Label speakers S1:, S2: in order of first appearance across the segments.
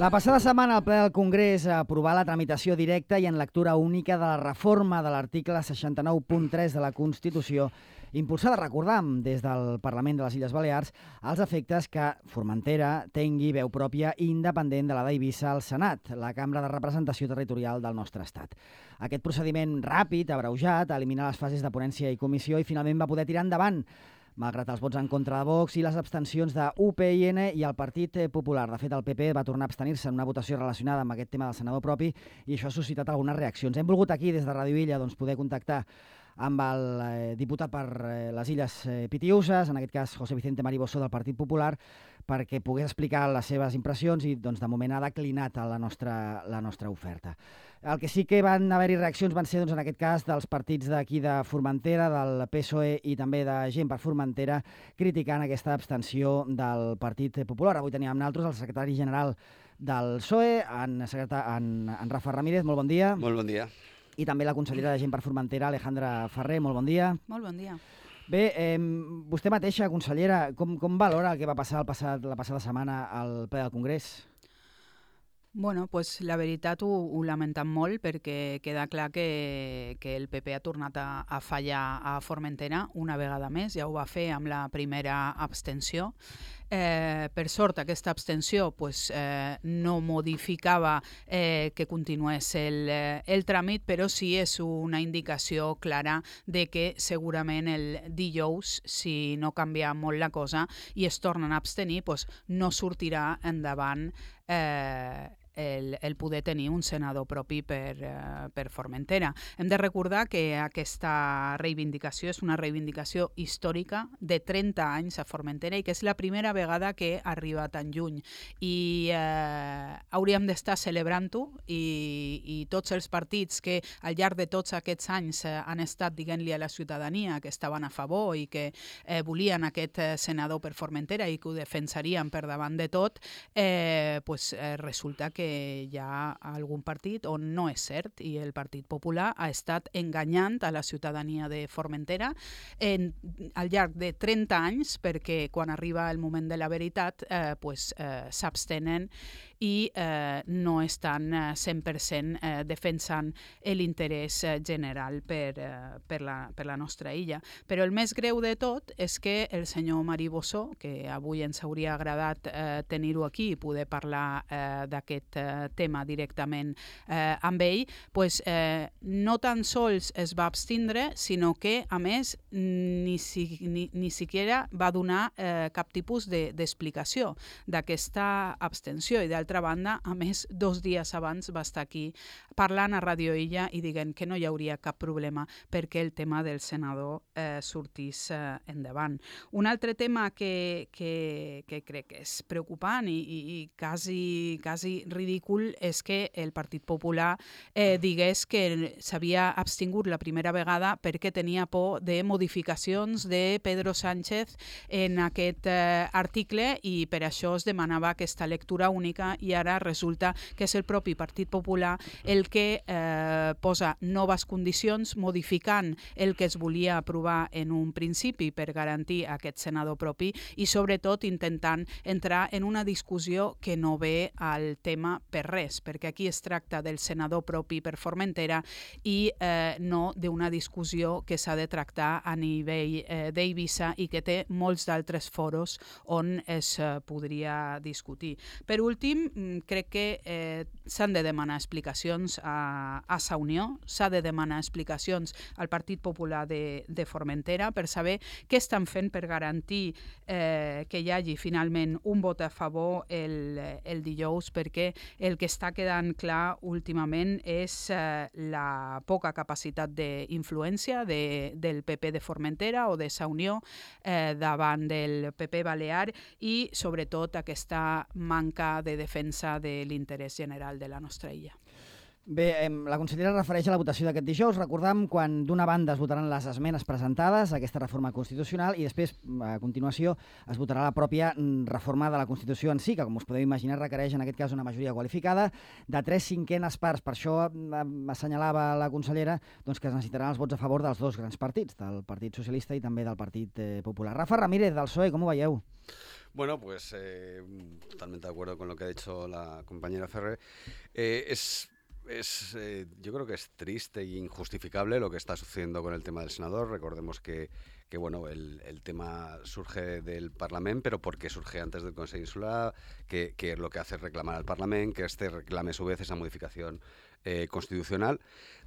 S1: La passada setmana el ple del Congrés aprovà la tramitació directa i en lectura única de la reforma de l'article 69.3 de la Constitució, impulsada, recordam, des del Parlament de les Illes Balears, als efectes que Formentera tingui veu pròpia i independent de la d'Eivissa al Senat, la cambra de representació territorial del nostre estat. Aquest procediment ràpid, abreujat, elimina les fases de ponència i comissió i finalment va poder tirar endavant, malgrat els vots en contra de Vox i les abstencions de UPyN i el Partit Popular. De fet, el PP va tornar a abstenir-se en una votació relacionada amb aquest tema del senador propi i això ha suscitat algunes reaccions. Hem volgut aquí, des de Ràdio Illa, poder contactar amb el diputat per les Illes Pitiüses, en aquest cas José Vicente Mariboso del Partit Popular, perquè pogués explicar les seves impressions i de moment ha declinat la nostra oferta. El que sí que van haver-hi reaccions van ser, en aquest cas, dels partits d'aquí de Formentera, del PSOE i també de Gent per Formentera, criticant aquesta abstenció del Partit Popular. Avui teníem nosaltres el secretari general del PSOE, en Rafa Ramírez. Molt bon dia.
S2: Molt bon dia.
S1: I també la consellera de Gent per Formentera, Alejandra Ferrer. Molt bon dia.
S3: Molt bon dia.
S1: Bé, vostè mateixa, consellera, com valora el que va passar la passada setmana al ple del Congrés?
S3: Bueno, pues la veritat ho lamentem molt perquè queda clar que el PP ha tornat a fallar a Formentera una vegada més, ja ho va fer amb la primera abstenció. Per sort, aquesta abstenció no modificava que continués el tràmit, però sí és una indicació clara de que segurament el dijous, si no canvia molt la cosa i es tornen a abstenir, no sortirà endavant el poder tenir un senador propi per Formentera. Hem de recordar que aquesta reivindicació és una reivindicació històrica de 30 anys a Formentera i que és la primera vegada que arriba tan lluny. I hauríem d'estar celebrant-ho i tots els partits que al llarg de tots aquests anys han estat dient-li a la ciutadania que estaven a favor i que volien aquest senador per Formentera i que ho defensarien per davant de tot, resulta que hi ha algun partit on no és cert i el Partit Popular ha estat enganyant a la ciutadania de Formentera al llarg de 30 anys perquè quan arriba el moment de la veritat s'abstenen i no estan 100% defensant l'interès general per la nostra illa. Però el més greu de tot és que el senyor Mariboso, que avui ens hauria agradat tenir-ho aquí i poder parlar d'aquest tema directament amb ell, no tan sols es va abstindre, sinó que, a més, ni siquiera va donar cap tipus d'explicació d'aquesta abstenció. I d'altra banda, a més, 2 dies abans va estar aquí parlant a Ràdio Illa i dient que no hi hauria cap problema perquè el tema del senador sortís endavant. Un altre tema que crec que és preocupant i quasi ridícul és que el Partit Popular digués que s'havia abstingut la primera vegada perquè tenia por de modificacions de Pedro Sánchez en aquest article i per això es demanava aquesta lectura única i ara resulta que és el propi Partit Popular el que posa noves condicions modificant el que es volia aprovar en un principi per garantir aquest senador propi i sobretot intentant entrar en una discussió que no ve al tema per res, perquè aquí es tracta del senador propi per Formentera i no d'una discussió que s'ha de tractar a nivell d'Eivissa i que té molts d'altres foros on es podria discutir. Per últim, crec que s'han de demanar explicacions a Sa Unió, s'ha de demanar explicacions al Partit Popular de Formentera per saber què estan fent per garantir que hi hagi finalment un vot a favor el dijous, perquè el que està quedant clar últimament és la poca capacitat d'influència del PP de Formentera o de Sa Unió davant del PP balear i sobretot aquesta manca de defensa de l'interès general de la nostra illa.
S1: Bé, la consellera refereix a la votació d'aquest dijous. Recordam quan d'una banda es votaran les esmenes presentades a aquesta reforma constitucional i després, a continuació, es votarà la pròpia reforma de la Constitució en si, que, com us podeu imaginar, requereix en aquest cas una majoria qualificada de 3/5 parts. Per això assenyalava la consellera doncs, que es necessitaran els vots a favor dels dos grans partits, del Partit Socialista i també del Partit Popular. Rafa Ramírez, del PSOE, com ho veieu?
S2: Bueno, pues totalmente de acuerdo con lo que ha dicho la compañera Ferrer. Yo creo que es triste e injustificable lo que está sucediendo con el tema del senador. Recordemos que bueno, el tema surge del Parlamento, pero ¿por qué surge antes del Consejo Insular? Que lo que hace es reclamar al Parlamento, que este reclame a su vez esa modificación constitucional,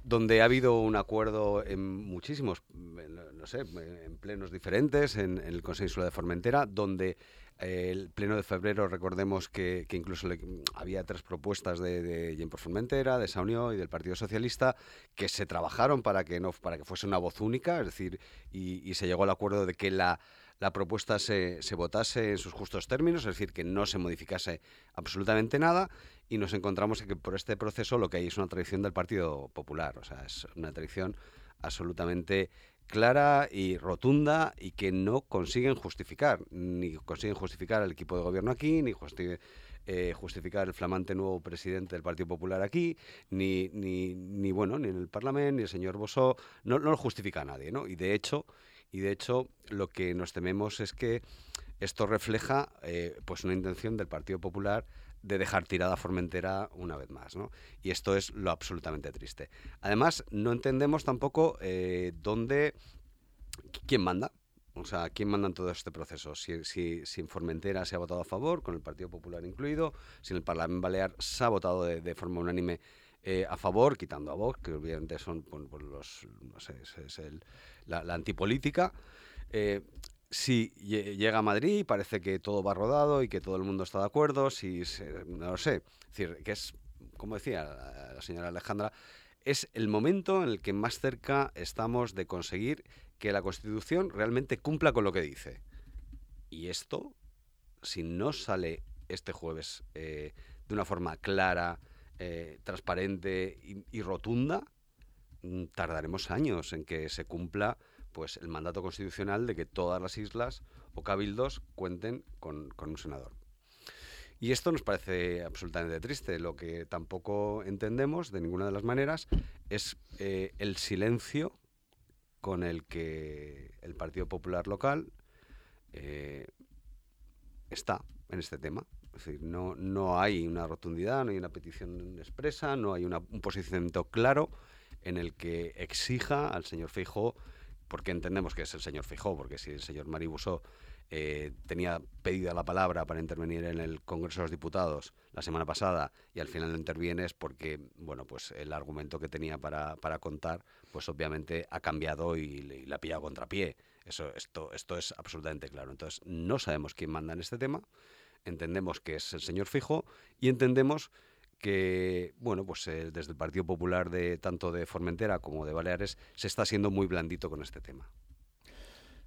S2: donde ha habido un acuerdo en muchísimos, no sé, en plenos diferentes, en el Consejo Insular de Formentera, donde el pleno de febrero, recordemos que incluso había 3 propuestas de Gent Formentera, de Saunió y del Partido Socialista, que se trabajaron para que fuese una voz única, es decir, y se llegó al acuerdo de que la propuesta se votase en sus justos términos, es decir, que no se modificase absolutamente nada, y nos encontramos que por este proceso lo que hay es una tradición del Partido Popular, o sea, es una tradición absolutamente clara y rotunda y que no consiguen justificar, ni consiguen justificar al equipo de gobierno aquí, ni justificar el flamante nuevo presidente del Partido Popular aquí, ni en el Parlamento, ni el señor Bossó, no lo justifica a nadie, ¿no? Y de hecho, lo que nos tememos es que esto refleja pues una intención del Partido Popular de dejar tirada a Formentera una vez más, ¿no? Y esto es lo absolutamente triste. Además, no entendemos tampoco quién manda. O sea, ¿quién manda en todo este proceso? Si en Formentera se ha votado a favor, con el Partido Popular incluido, si en el Parlamento Balear se ha votado de forma unánime a favor, quitando a Vox, que obviamente son la antipolítica. Si llega a Madrid, parece que todo va rodado y que todo el mundo está de acuerdo, no lo sé. Es decir, que es, como decía la señora Alejandra, es el momento en el que más cerca estamos de conseguir que la Constitución realmente cumpla con lo que dice. Y esto, si no sale este jueves de una forma clara, transparente y rotunda, tardaremos años en que se cumpla pues el mandato constitucional de que todas las islas o cabildos cuenten con un senador. Y esto nos parece absolutamente triste. Lo que tampoco entendemos de ninguna de las maneras es el silencio con el que el Partido Popular local está en este tema. Es decir, no hay una rotundidad, no hay una petición expresa, no hay un posicionamiento claro en el que exija al señor Feijóo, porque entendemos que es el señor Feijóo, porque si el señor Mari Bossó tenía pedida la palabra para intervenir en el Congreso de los Diputados la semana pasada y al final no interviene es porque, bueno, pues el argumento que tenía para contar, pues obviamente ha cambiado y le ha pillado contrapié. Esto es absolutamente claro. Entonces, no sabemos quién manda en este tema, entendemos que es el señor Feijóo y entendemos que, bueno, pues desde el Partido Popular tanto de Formentera como de Baleares se està siendo muy blandito con este tema.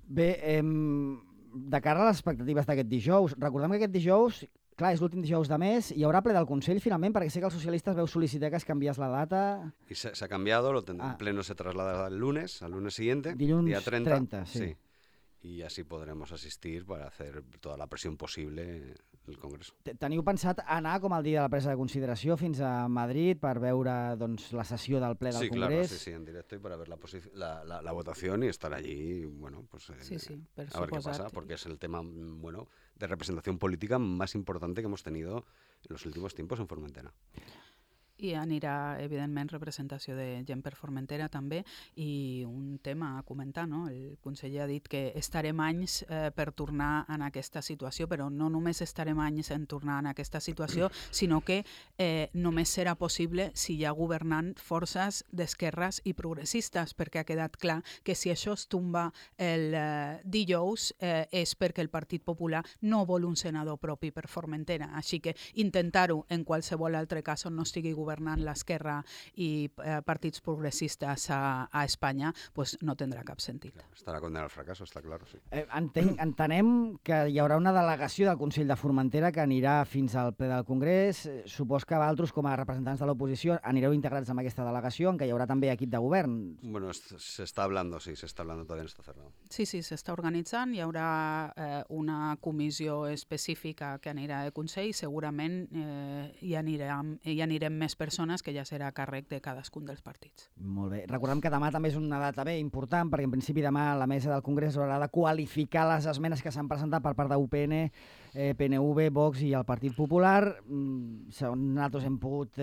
S1: Bé, de cara a les expectatives d'aquest dijous, recordem que aquest dijous, clar, és l'últim dijous de mes, hi haurà ple del Consell finalment, perquè sé que els socialistes veu sol·licitar que es canviés la data.
S2: Y se ha cambiado, el pleno se traslada al lunes siguiente,
S1: dilluns
S2: día 30.
S1: Sí.
S2: Y así podremos asistir para hacer toda la presión posible en el Congreso.
S1: Teniu pensat anar com el dia de la presa de consideració fins a Madrid per veure doncs, la sessió del ple del Congrés?
S2: Sí, en directo y para ver la votación y estar allí, bueno, pues a ver qué pasa, porque es el tema, bueno, de representación política más importante que hemos tenido en los últimos tiempos en Formentera.
S3: I anirà, evidentment, representació de gent per Formentera també, i un tema a comentar, no? El conseller ha dit que estarem anys per tornar en aquesta situació, però no només estarem anys en tornar en aquesta situació, sinó que només serà possible si hi ha governant forces d'esquerres i progressistes, perquè ha quedat clar que si això es tomba el dijous és perquè el Partit Popular no vol un senador propi per Formentera. Així que intentar-ho en qualsevol altre cas on no estigui governant governant l'esquerra i partits progressistes a Espanya, pues no tindrà cap sentit.
S2: Estarà condenat al fracasso, està clar, sí.
S1: Entenem que hi haurà una delegació del Consell de Formentera que anirà fins al ple del Congrés. Supos que vosaltres, com a representants de l'oposició, anireu integrats en aquesta delegació, en què hi haurà també equip de govern.
S2: Bueno, se está hablando, todavía no está cerrado.
S3: Sí, s'està organitzant, hi haurà una comissió específica que anirà al Consell, segurament hi anirem més persones, que ja serà a càrrec de cadascun dels partits.
S1: Molt bé. Recordem que demà també és una data important, perquè en principi demà la mesa del Congrés haurà de qualificar les esmenes que s'han presentat per part d'UPN, PNV, Vox i el Partit Popular. Segons nosaltres hem pogut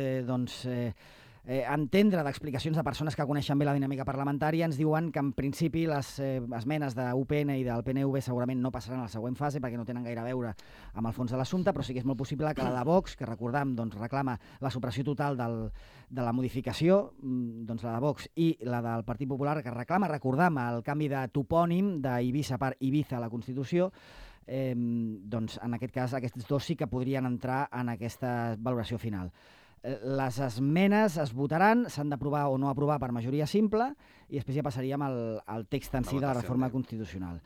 S1: entendre d'explicacions de persones que coneixen bé la dinàmica parlamentària, ens diuen que en principi les esmenes d'UPN i del PNV segurament no passaran a la següent fase perquè no tenen gaire a veure amb el fons de l'assumpte, però sí que és molt possible que la de Vox, que recordam reclama la supressió total de la modificació, doncs la de Vox, i la del Partit Popular, que reclama, recordam, el canvi de topònim d'Eivissa per Ibiza a la Constitució, doncs en aquest cas aquests dos sí que podrien entrar en aquesta valoració final. Les esmenes es votaran, s'han d'aprovar o no aprovar per majoria simple i després ja passaríem al text en si de la reforma constitucional.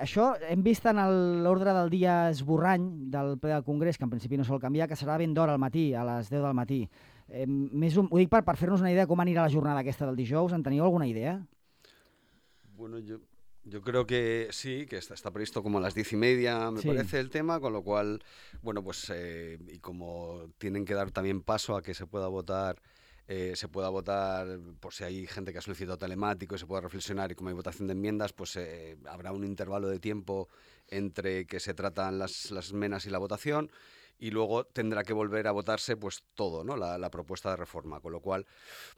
S1: Això hem vist en l'ordre del dia esborrany del ple del Congrés, que en principi no sol canviar, que serà ben d'hora al matí, a les 10 del matí. Ho dic per fer-nos una idea de com anirà la jornada aquesta del dijous. En teniu alguna idea?
S2: Bueno, yo creo que sí, que está previsto como a las 10:30, me parece el tema, con lo cual, bueno, pues y como tienen que dar también paso a que se pueda votar por si hay gente que ha solicitado telemático y se pueda reflexionar, y como hay votación de enmiendas, pues habrá un intervalo de tiempo entre que se tratan las esmenas y la votación, y luego tendrá que volver a votarse pues todo, ¿no? La propuesta de reforma, con lo cual,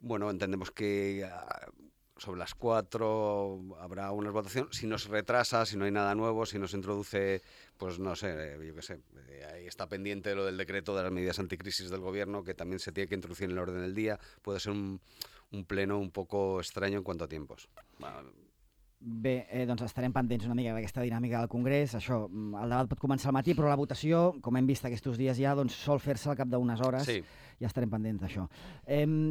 S2: bueno, entendemos que sobre las 4 habrá una votación. Si no se retrasa, si no hay nada nuevo, si no se introduce, pues no sé, yo qué sé, ahí está pendiente lo del decreto de las medidas anticrisis del gobierno, que también se tiene que introducir en el orden del día. Puede ser un pleno un poco extraño en cuanto a tiempos.
S1: Bé, doncs estarem pendents una mica d'aquesta dinàmica del Congrés. Això, el debat pot començar al matí, però la votació, com hem vist aquests dies ja, doncs sol fer-se al cap d'unes hores. Sí. Ja estarem pendents d'això.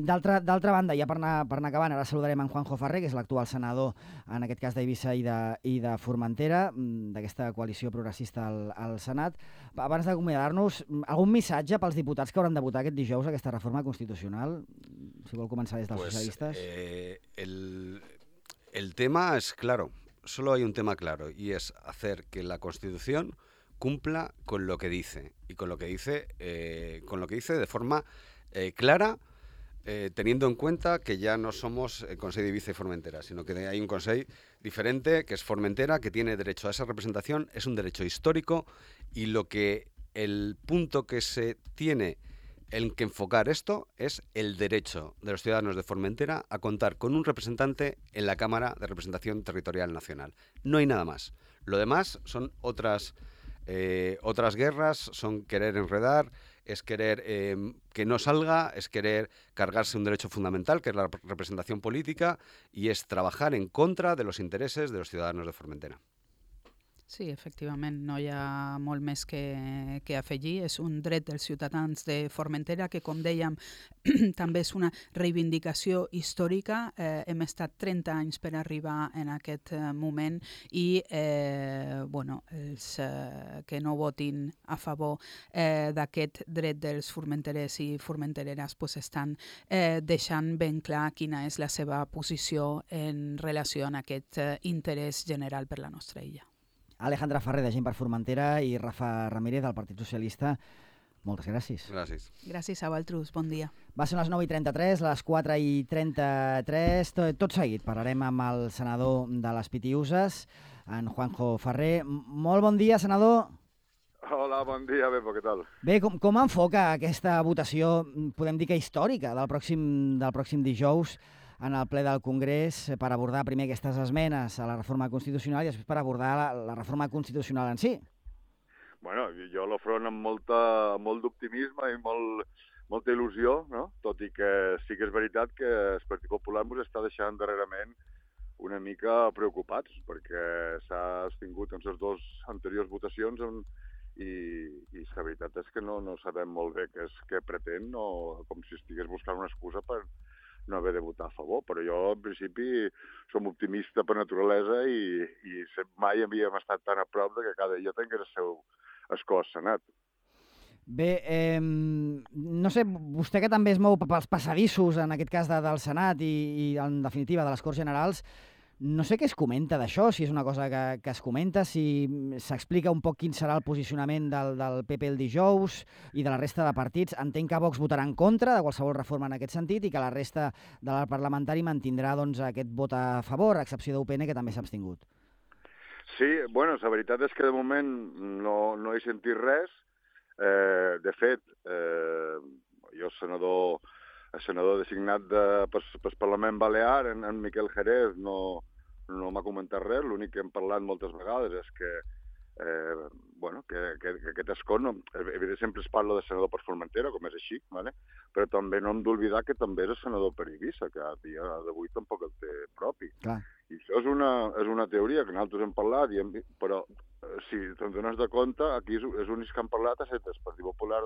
S1: D'altra banda, ja per anar acabant, ara saludarem en Juanjo Ferrer, que és l'actual senador, en aquest cas d'Eivissa i de Formentera, d'aquesta coalició progressista al Senat. Abans d'acomiadar-nos, algun missatge pels diputats que hauran de votar aquest dijous aquesta reforma constitucional? Si vol començar des dels socialistes.
S2: El tema es claro, solo hay un tema claro, y es hacer que la Constitución cumpla con lo que dice, y con lo que dice de forma clara, teniendo en cuenta que ya no somos el Consell d'Eivissa y Formentera, sino que hay un Consell diferente, que es Formentera, que tiene derecho a esa representación, es un derecho histórico, y el punto que se tiene en que enfocar esto es el derecho de los ciudadanos de Formentera a contar con un representante en la Cámara de Representación Territorial Nacional. No hay nada más. Lo demás son otras guerras, son querer enredar, es querer que no salga, es querer cargarse un derecho fundamental, que es la representación política, y es trabajar en contra de los intereses de los ciudadanos de Formentera.
S3: Sí, efectivament, no hi ha molt més que afegir. És un dret dels ciutadans de Formentera que, com dèiem, també és una reivindicació històrica. Hem estat 30 anys per arribar en aquest moment i els que no votin a favor d'aquest dret dels formenterers i formentereres estan deixant ben clar quina és la seva posició en relació amb aquest interès general per la nostra illa.
S1: Alejandra Ferrer, de Gent per Formentera, i Rafa Ramírez, del Partit Socialista. Moltes gràcies.
S2: Gràcies.
S3: Gràcies a vosaltres. Bon dia.
S1: Va ser les 9:33, les 4:33. Tot seguit parlarem amb el senador de les Pitiüses, en Juanjo Ferrer. Molt bon dia, senador.
S4: Hola, bon dia, Bebo, què tal?
S1: Bé, com enfoca aquesta votació, podem dir que històrica, del pròxim dijous, en el ple del Congrés, per abordar primer aquestes esmenes a la reforma constitucional i després per abordar la reforma constitucional en si?
S4: Bueno, jo l'afronto amb molt d'optimisme i molta il·lusió, no? Tot i que sí que és veritat que el Partit Popular ens està deixant darrerament una mica preocupats, perquè s'ha tingut en les dues anteriors votacions i la veritat és que no sabem molt bé què pretén, com si estigués buscant una excusa per no haver de votar a favor, però jo, en principi, som optimista per naturalesa i mai havíem estat tan a prop de que cada dia tingués el seu escó al Senat.
S1: Bé, no sé, vostè que també es mou pels passadissos, en aquest cas del Senat i en definitiva de les Corts Generals, no sé què es comenta d'això, si és una cosa que es comenta, si s'explica un poc quin serà el posicionament del PP el dijous i de la resta de partits. Entenc que Vox votarà en contra de qualsevol reforma en aquest sentit i que la resta de l'arc parlamentari mantindrà doncs, aquest vot a favor, a excepció d'UPN, que també s'ha abstingut.
S4: Sí, bueno, la veritat és que de moment no he sentit res. De fet, jo, el senador designat pel Parlament Balear, en Miquel Jerez, no m'ha comentat res. L'únic que hem parlat moltes vegades és que aquest escó, evidentment sempre es parla de senador per Formentera, com és així, ¿vale? Però també no hem d'oblidar que també és el senador per Eivissa, que a dia d'avui tampoc el té propi.
S1: Clar.
S4: I això és una teoria que nosaltres hem parlat, però si te'n dones de compte, aquí els únics que han parlat ha estat el Partit Popular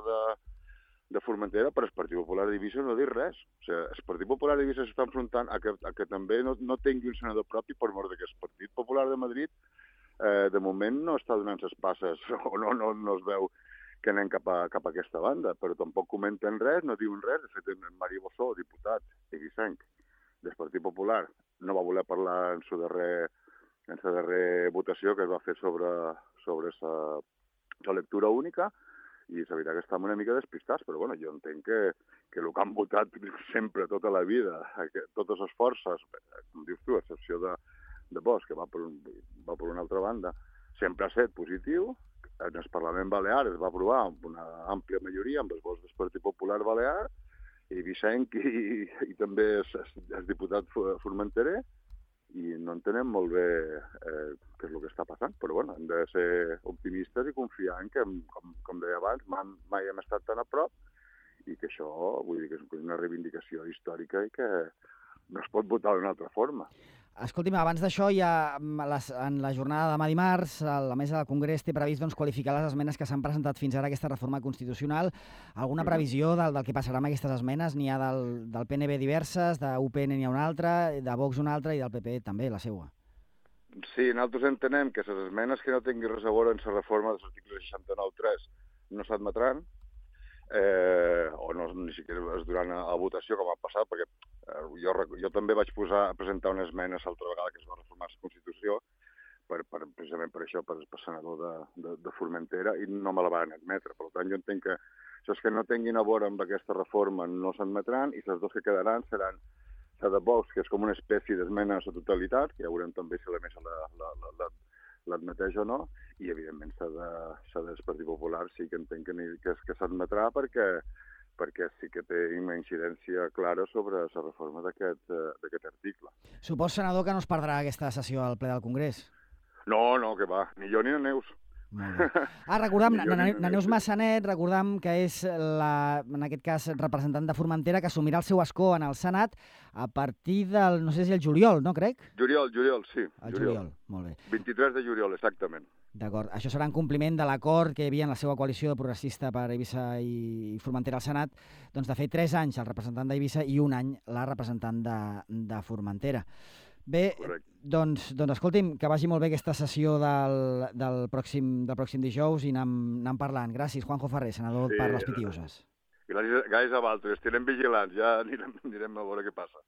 S4: de Formentera, però el Partit Popular d'Eivissa no ha dit res. O sigui, el Partit Popular d'Eivissa s'està enfrontant a que també no tingui un senador propi per mort que el Partit Popular de Madrid de moment no està donant les passes o no es veu que anem cap a aquesta banda, però tampoc comenten res, no diuen res. De fet, en Mari Bossó, diputat eivissenc del Partit Popular, no va voler parlar en la darrera votació que es va fer sobre la lectura única, i la veritat que estem una mica despistats, però bueno, jo entenc que el que han votat sempre, tota la vida, totes les forces, com dius tu, a excepció de Vox, que va per una altra banda, sempre ha estat positiu. En el Parlament Balear es va aprovar amb una àmplia majoria amb els vots del Partit Popular Balear, i Vicenc i també el diputat formenterer, i no entenem molt bé què és el que està passant, però bueno, hem de ser optimistes i confiar en que, com deia abans, mai hem estat tan a prop i que això, vull dir, que és una reivindicació històrica i que no es pot votar d'una altra forma.
S1: Escolti'm, abans d'això, ja en la jornada de demà dimarts, la mesa del Congrés té previst qualificar les esmenes que s'han presentat fins ara a aquesta reforma constitucional. Alguna previsió del que passarà amb aquestes esmenes? N'hi ha del PNB diverses, d'UPN n'hi ha una altra, de Vox una altra i del PP també, la seua.
S4: Sí, nosaltres entenem que les esmenes que no tinguin res a veure amb la reforma dels articles 69.3 no s'admetran, o ni siquiera es duran a votació, com ha passat, perquè jo també vaig presentar una esmena l'altra vegada que es va reformar la Constitució, precisament per això, per senador de Formentera, i no me la van admetre. Per tant, jo entenc que els que no tinguin a veure amb aquesta reforma no s'admetran, i les dues que quedaran seran la de Vox, que és com una espècie d'esmena a la totalitat, que ja veurem també si la mesa l'admeteix o no, i evidentment s'ha del Partit Popular sí que entenc que s'admetrà perquè sí que té una incidència clara sobre la reforma d'aquest article.
S1: Supos, senador, que no es perdrà aquesta sessió al ple del Congrés?
S4: No, que va, ni jo ni la Neus.
S1: Molt bé. Recordam, na Neus Massanet, recordam que és, en aquest cas, representant de Formentera, que assumirà el seu escó en el Senat a partir del, no sé si el juliol, no crec?
S4: Juliol, sí.
S1: El juliol, molt bé.
S4: 23 de juliol, exactament.
S1: D'acord. Això serà en compliment de l'acord que hi havia en la seva coalició de progressista per Eivissa i Formentera al Senat, doncs de fer 3 anys el representant d'Eivissa i 1 any la representant de Formentera. Bé, doncs escolti'm, que vagi molt bé aquesta sessió del pròxim dijous i anem parlant. Gràcies, Juanjo Ferrer, senador per les Pitiuses.
S4: Gràcies a vosaltres, estirem vigilants, ja anirem a veure què passa.